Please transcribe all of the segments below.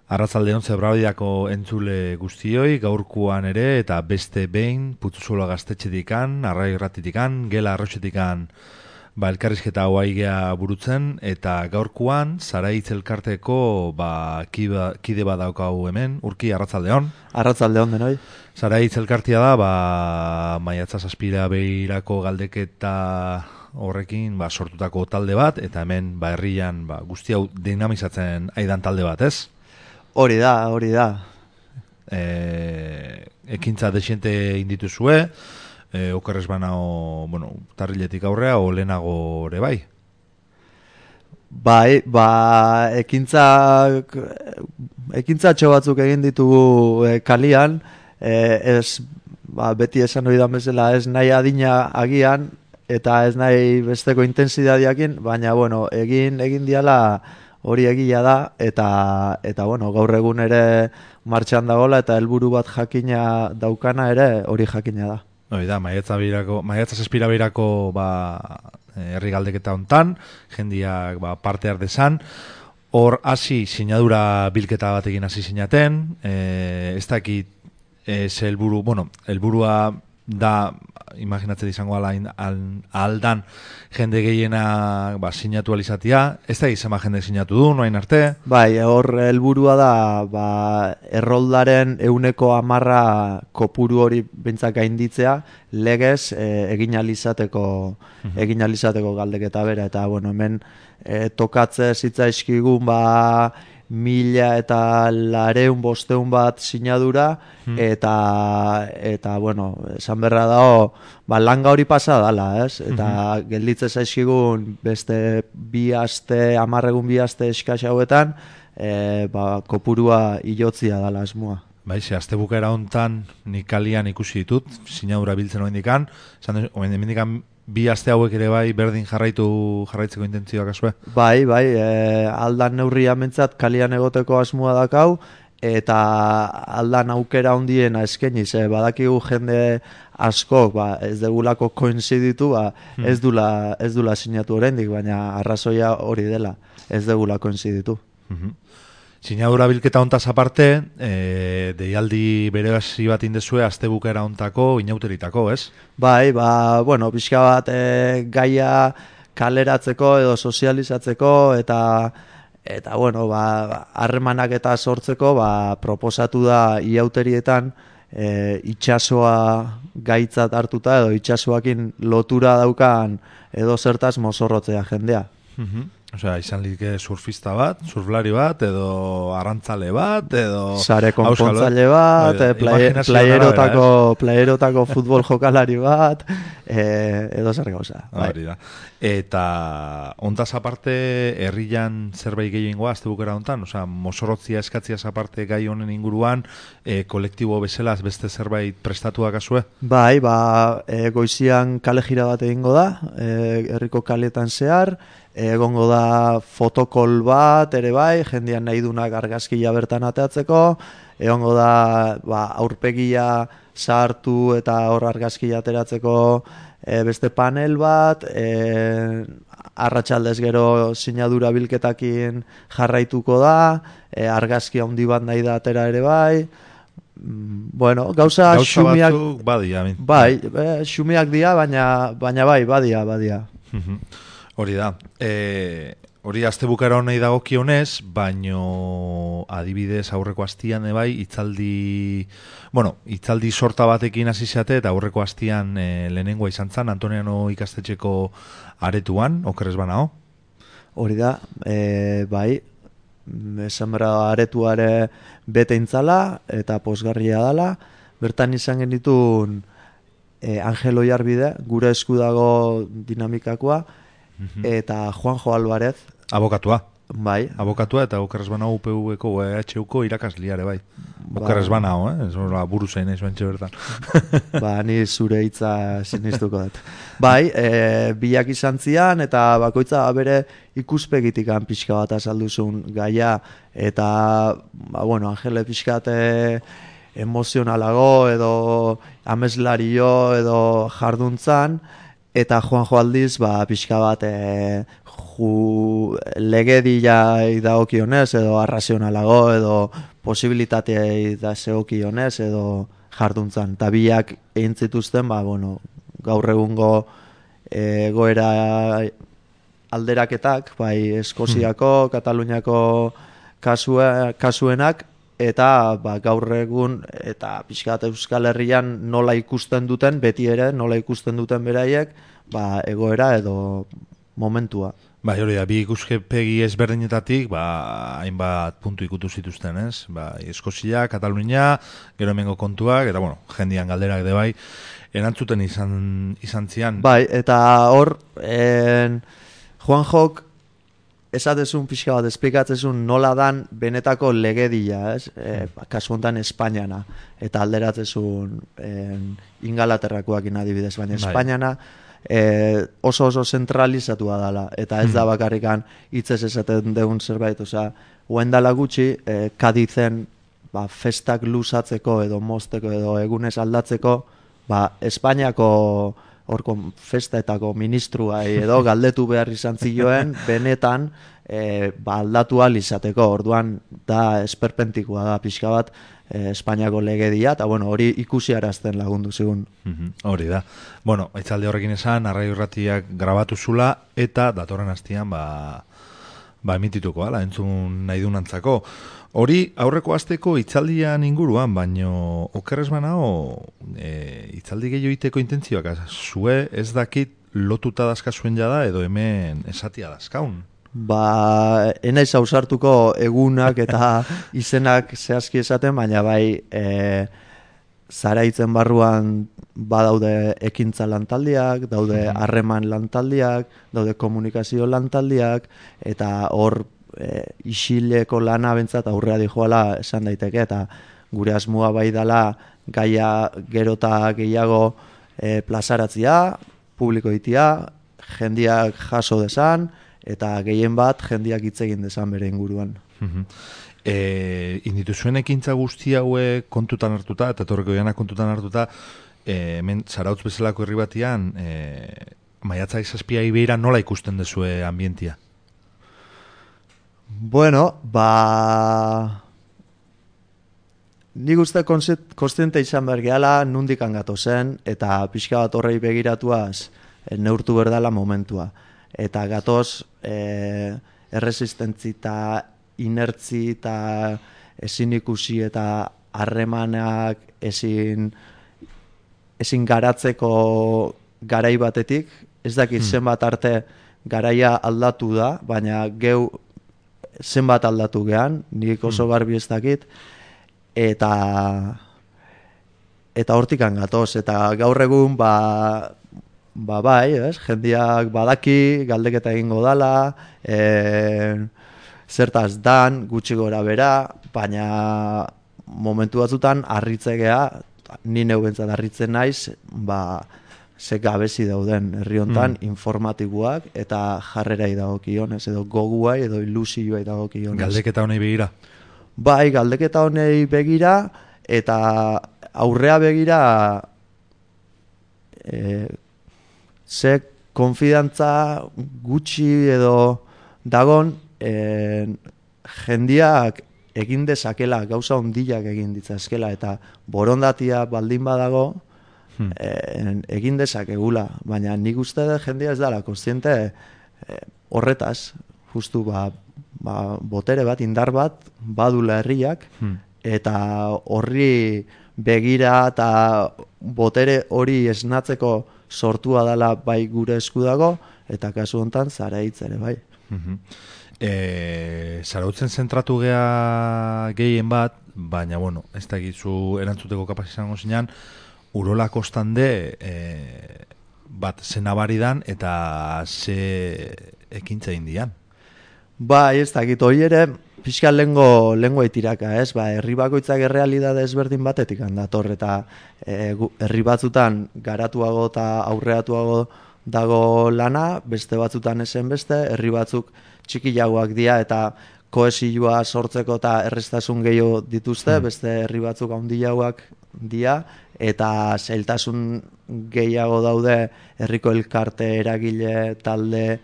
Arratzaldeon Zebrabidako entzule guztioi, gaurkoan ere eta beste behin Putzuzola gaztetxetikan, Arrai Irratitikan, Gela Arroxetikan elkarrizketa hauaigea burutzen, eta gaurkoan Zaraitz elkarteko kide bat daukau hemen, Urki, arratzaldeon. Arratzaldeon denoi. Zaraitz elkartia da, maiatza zazpira behirako galdeketa horrekin sortutako talde bat, eta hemen herrian guzti hau dinamizatzen aidan talde bat, ez? Hori da. Ekintza desiente indituzue, okerrez banao, tarriletik aurrea, o lehenago ere bai? Bai, ekintza batzuk egin ditugu kalian, beti esan hori da bezala, ez nahi adina agian, eta ez nahi besteko intensidadiakin, baina, egin diala hori egia da, eta gaur egun ere martxan dagoela, eta helburu bat jakina daukana ere hori jakina da. Hori da, maiatza zazpira behirako herri galdeketa hontan, jendiak parte ardezan, hor hasi sinadura bilketa batekin hasi sinaten, ez dakit helburua da, imaginatzen izango aldan jende gehiena sinatu alizatia, ez da izan jende sinatu du, noain arte? Bai, hor helburua da erroldaren 110% kopuru hori bintzak gainditzea, legez egin alizateko galdeketa bera, eta hemen tokatze zitzaizkigun 1,200 bat sinadura, eta esan berra dago, langa hori pasa dala, ez? Eta gelditze zaizkigun beste 2 aste, 10 aste eskaz hauetan, kopurua ilotzia dala asmoa. Ze aste bukaera hontan nik kalian ikusi ditut, sinadura biltzen oendikan, oendikan 2 aste hauek ere berdin jarraitzeko intentzioak azue? Bai, aldan neurria mentzat kalian egoteko asmoa dakau, eta aldan aukera hondiena eskeniz, badakigu jende askok, ez degulako koinziditu, ez dula sinatu oraindik, baina arrazoia hori dela, ez degula koinziditu. Sinadura bilketa hontaz aparte, deialdi bere hasi bat indezue astebukaera hontako inauteritako, ez? Bai, pixka bat gaia kaleratzeko edo sozializatzeko eta harremanak eta sortzeko proposatu da iauterietan itxasoa gaitzat hartuta edo itxasoakin lotura daukan edo zertaz mozorrotzea jendea. Osea, izan like surfista bat, surflari bat, edo arrantzale bat, edo sare konpontzaile bat, playerotako futbol jokalari bat, edo zer gauza. Eta ontaz aparte, herrian zerbait gehiengoa, azte bukera hontan, osea, mozorrotzia eskatziaz aparte gai honen inguruan, kolektibo bezala beste zerbait prestatuak azue? Bai, goizian kale jira bat egingo da, herriko kaletan zehar, egongo da fotokol bat ere bai, jendean nahi dunak argazkia bertan ateatzeko, egongo da aurpegia sartu eta hor argazkia ateratzeko beste panel bat, arratsaldez gero sinadura bilketakin jarraituko da, argazkia handi bat nahi da atera ere bai, gauza xumiak batzuk badia. Bai, xumiak dira, baina bai, badia. Hori da. Hori astebukara honei dagokionez, baino adibidez aurreko astian hitzaldi sorta batekin hasi zate eta aurreko astian lehenengoa izan zen Antoniano ikastetxeko aretuan, okerrez banao? Hori da, bai, esan bera aretuare bete intzala eta posgarria dala, bertan izan genitun Angelo Jarbide, gure esku dago dinamikakoa, eta Juanjo Alvarez. Abokatua. Bai. Abokatua eta okerrez banao UPV-ko EHUko irakasliare, bai. Okerrez banao, buru zain ez bentxe bertan. Ni zure hitza sinistuko dut. Bai, biak izan zian, eta bakoitza bere ikuspegitikan pixka bat azalduzun gaia, eta, Angele pixkat emozionalago, edo ameslario, edo jarduntzan, eta Juanjo aldiz, pixka bat legediai dagokionez, edo arrazionalago, edo posibilitateai da zegokionez, edo jarduntzan. Eta biak egin zituzten, gaur egungo egoera alderaketak, bai Eskoziako, Kataluniako kasuenak, eta gaur egun, eta pixkat Euskal Herrian nola ikusten duten, beti ere nola ikusten duten beraiek, egoera edo momentua. Bai, hori da, bi ikuskepegi ezberdinetatik, hainbat puntu ikutu zituzten, ez? Eskozia, Katalunia, gero hemengo kontuak, eta, jendian galderak de bai, erantzuten izan zian. Bai, eta hor, Juanjok, esatezun pixka bat, esplikatzezun nola dan benetako legedia, ez? Kasu honetan Espainiana, eta alderatzezun Ingalaterrakoak adibidez, baina Espainiana oso zentralizatua dela, eta ez da bakarrikan hitzez esaten deun zerbait, dela gutxi, Kadizen festak luzatzeko edo mozteko edo egunez aldatzeko, Espainiako horko festaetako ministruai edo galdetu behar izan zioen, benetan aldatu ahal izateko, orduan da esperpentikoa da pixka bat Espainiako legedia, eta hori ikusiarazten lagundu zigun. Hori da. Aitzalde horrekin esan, Arraio Irratiak grabatu zula, eta datorren hastian emitituko, entzun nahi dunantzako. Hori aurreko asteko hitzaldian inguruan, baino okerrez banago hitzaldi gehiago iteko intentzioak zue ez dakit lotuta dazkazuen jada edo hemen esatia dazkaun. Enaiz ausartuko egunak eta izenak zehazki esaten, baina Zaraitzen barruan badaude ekintza lantaldiak, daude harreman lantaldiak, daude komunikazio lantaldiak, eta hor isileko lana bentsat aurrea dijoala esan daiteke, eta gure asmoa bai dela gaia gerota gehiago plazaratzia, publiko itia, jendiak jaso desan, eta gehien bat jendiak hitz egin desan bere inguruan. Indituzuen ekintza guzti hauek kontutan hartuta, eta etorreko janak kontutan hartuta, hemen Zarautz bezalako herri batian, maiatza izazpia ibeira nola ikusten dezue ambientia? Nik uste konstiente izan behar gehala nundik angatu zen, eta pixka bat horrei begiratuaz neurtu berdala momentua. Eta gatoz erresistentzi eta inertzi eta ezin ikusi eta harremanak ezin garatzeko garai batetik, ez dakit zenbat arte garaia aldatu da, baina geu zenbat aldatu gehan, nik oso garbi ez dakit, eta hortikan gatoz, eta gaur egun bai, jendiak badaki, galdeketa egingo dala, zertaz dan, gutxi gora bera, baina momentu batzutan harritzegea, ni neubentzat harritzen naiz, ze gabezi dauden herri hontan informatikoak eta jarrerai dagokionez, edo goguai edo ilusioai dagokionez. Galdeketa honei begira? Bai, galdeketa honei begira, eta aurrea begira ze konfidantza gutxi edo dagon jendiak egin dezakela, gauza ondiak egin ditzazkela, eta borondatia baldin badago egin dezakegula, baina nik uste da jendia ez dala kontziente horretaz, justu botere bat, indar bat badula herriak, eta horri begira eta botere hori esnatzeko sortua dela bai gure esku dago, eta kasu honetan Zaraitz ere bai. Zarautzen zentratu gea gehien bat, baina ez da egizu erantzuteko kapaz izango zinean, Urola kostande bat zenabaridan eta ze ekintza indian. Ez dakit, hori ere pixka lengo etiraka, ez? Herri bakoitzak errealidade ezberdin batetik handator, eta herri batzutan garatuago eta aurreatuago dago lana, beste batzutan esen beste, herri batzuk txikiagoak dira eta kohesioa sortzeko eta errestasun gehiago dituzte, beste herri batzuk handiagoak dia, eta zailtasun gehiago daude herriko elkarte, eragile, talde,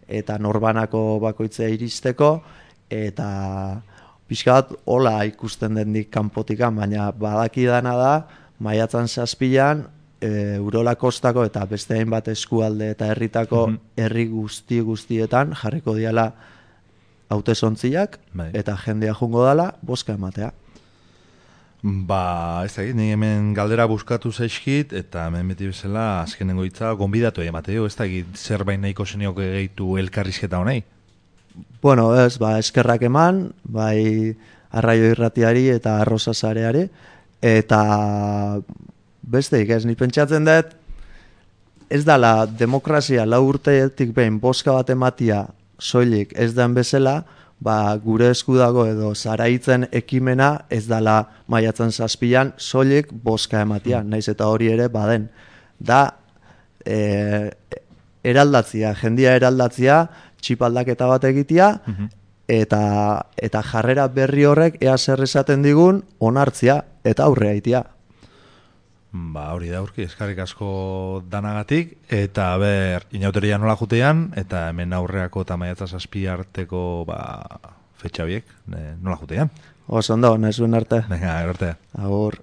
eta norbanako bakoitzea iristeko, eta pixka bat hola ikusten dendik kanpotikan, baina badakidana da, maiatzan 7an, Urola kostako eta beste hainbat eskualde eta herritako herri guztietan jarriko diala hautesontziak eta jendea jungo dala bozka ematea. Ba, ez da, ni hemen galdera buskatu zaizkit, eta hemen beti bezala azkenengo hitza gonbidatu emateo, ez da, zerbait nahiko zeniok gehitu elkarrizketa honei? Bueno, ez, eskerrak eman, bai Arraio Irratiari eta Arrosa Sareari, eta besteik ez, ni pentsatzen dut, ez dala demokrazia 4 urtetik behin bozka bat ematia soilik ez den bezala, gure esku dago edo zaraitzen ekimena ez dala maiatzen 7an soilik bozka ematia, naiz eta hori ere baden. Da, eraldatzia, jendia eraldatzia, txipaldaketa bat egitea, eta jarrera berri horrek ea zer esaten digun onartzia eta aurrea itea. Ba, hori da urki, eskarrik asko danagatik, eta inauteria nola jutean, eta hemen aurreako eta maiatza 7 arteko fetxa biek, nola jutean. Oso ondo, nahi zuen arte. Venga, arte. Agur.